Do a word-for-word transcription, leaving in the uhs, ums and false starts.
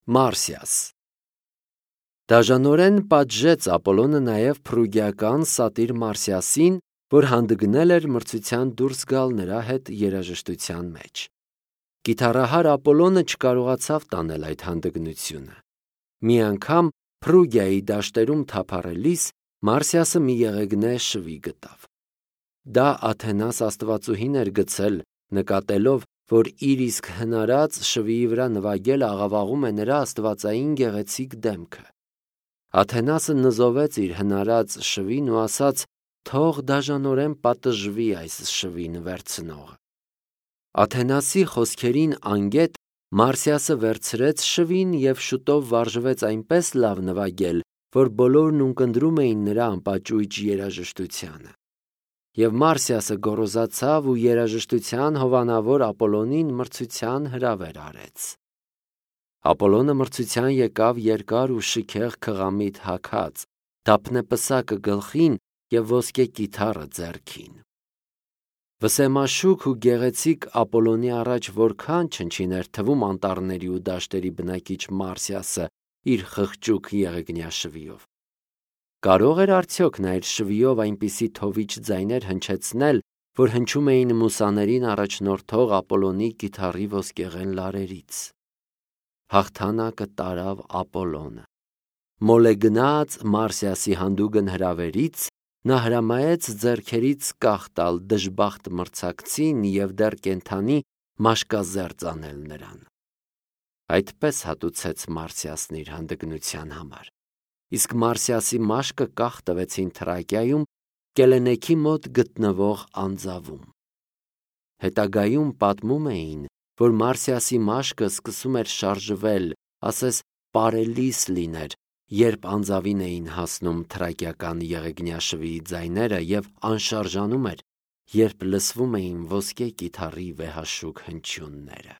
Մարսիաս։ Դաժանորեն պատժեց Ապոլոնը նաև փրուգիական սատիր Մարսիասին, որ հանդգնել էր մրցության դուրս գալ նրա հետ երաժշտության մեջ։ Կիթառահար Ապոլոնը չկարողացավ տանել այդ հանդգնությունը։ Մի անգամ Փրուգիայի դաշտերում թափառելիս Մարսիասը մի եղեգնե շվի գտավ։ Դա Աթենաս աստվածուհին էր գցել, նկատելով, որ իր իսկ հնարած շվիի վրա նվագել աղավաղում է նրա աստվածային գեղեցիկ դեմքը։ Աթենասը նզովեց իր հնարած շվին ու ասաց. «Թող դաժանորեն պատժվի այս շվին վերցնողը»։ Աթենասի խոսքերին անգետ Մարսիասը վերցրեց շվին և շուտով վարժվեց այնպես լավ նվագել, որ բոլորն ունկնդրում էին նրա անպաճույճ երաժշտությանը։ Եվ Մարսիասը գոռոզացավ ու երաժշտության հովանավոր Ապոլոնին մրցության հրավեր արեց։ Ապոլոնը մրցության եկավ երկար ու շքեղ քղամիտ հագած, դափնե պսակը գլխին և ոսկե կիթառը ձեռքին։ Վսեմաշուք ու գեղեցիկ Ապոլոնի առաջ որքան չնչին էր թվում անտառների ու դաշտերի բնակիչ Մարսիասը իր խղճուկ եղեգնյա շվիով։ Կարո՞ղ էր արդյոք նա իր շվիով այնպիսի թովիչ ձայներ հնչեցնել, որ հնչում էին մուսաներին առաջնորդող Ապոլոնի կիթառի ոսկեղեն լարերից։ Հաղթանակը տարավ Ապոլոնը։ Մոլեգնած Մարսիասի հանդուգն հրավերից նա հրամայեց ձեռքերից կախ տալ դժբախտ մրցակցին և դեռ կենդանի մաշկազերծ անել նրան։ Այդպես հատուցեց Մարսիասն իր հանդգնության համար։ Իսկ Մարսիասի մաշկը կախ տվեցին Թրակիայում Կելենեքի մոտ գտնվող անձավում։ Հետագայում պատմում էին, որ Մարսիասի մաշկը սկսում էր շարժվել, ասես պարելիս լիներ, երբ անձավին էին հասնում թրակիական եղեգնյա շվիի ձայները և անշարժանում էր, երբ լսվում էին ոսկե կիթառի վեհաշուք հնչյունները։